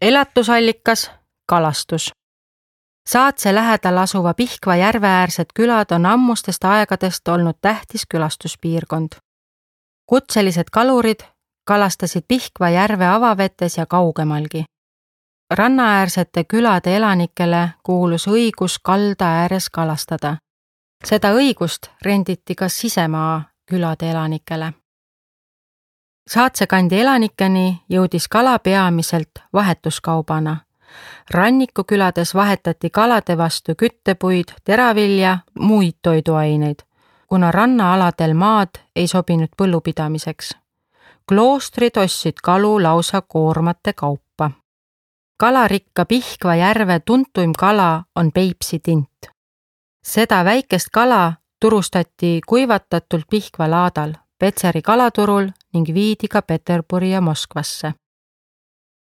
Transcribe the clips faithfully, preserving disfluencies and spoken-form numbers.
Elatusallikas, kalastus. Saatse lähedal asuva Pihkva järve äärsed külad on ammustest aegadest olnud tähtis külastuspiirkond. Kutselised kalurid kalastasid Pihkva järve avavetes ja kaugemalgi. Rannaäärsete külade elanikele kuulus õigus kalda ääres kalastada. Seda õigust renditi ka sisemaa külade elanikele. Saatsekandi elanikeni jõudis kala peamiselt vahetuskaubana. Rannikukülades vahetati kalade vastu küttepuid, teravilja, muid toiduaineid, kuna rannaaladel maad ei sobinud põllupidamiseks. Kloostrid ostsid kalu lausa koormate kaupa. Kalarikka Pihkva järve tuntuim kala on Peipsi tint. Seda väikest kala turustati kuivatatult Pihkva laadal, Petseri kalaturul ning viidi ka Peterburi ja Moskvasse.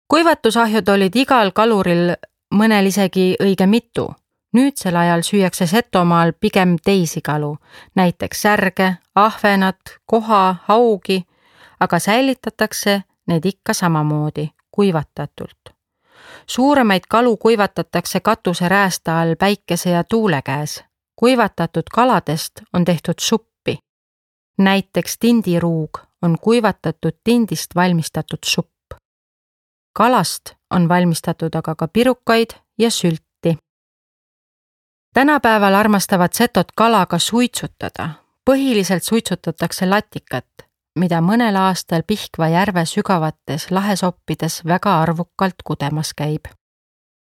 Kuivatusahjud olid igal kaluril, mõnel isegi õige mitu. Nüüdsel ajal süüakse Setomaal pigem teisi kalu, näiteks särge, ahvenat, koha, haugi, aga säilitatakse need ikka samamoodi, kuivatatult. Suuremaid kalu kuivatatakse katuse räästa all päikese ja tuule käes. Kuivatatud kaladest on tehtud suppi. Näiteks tindiruug on kuivatatud tindist valmistatud supp. Kalast on valmistatud aga ka pirukaid ja sülti. Tänapäeval armastavad setot kalaga suitsutada. Põhiliselt suitsutatakse latikat, mida mõnel aastal Pihkva järve sügavates lahesoppides väga arvukalt kudemas käib.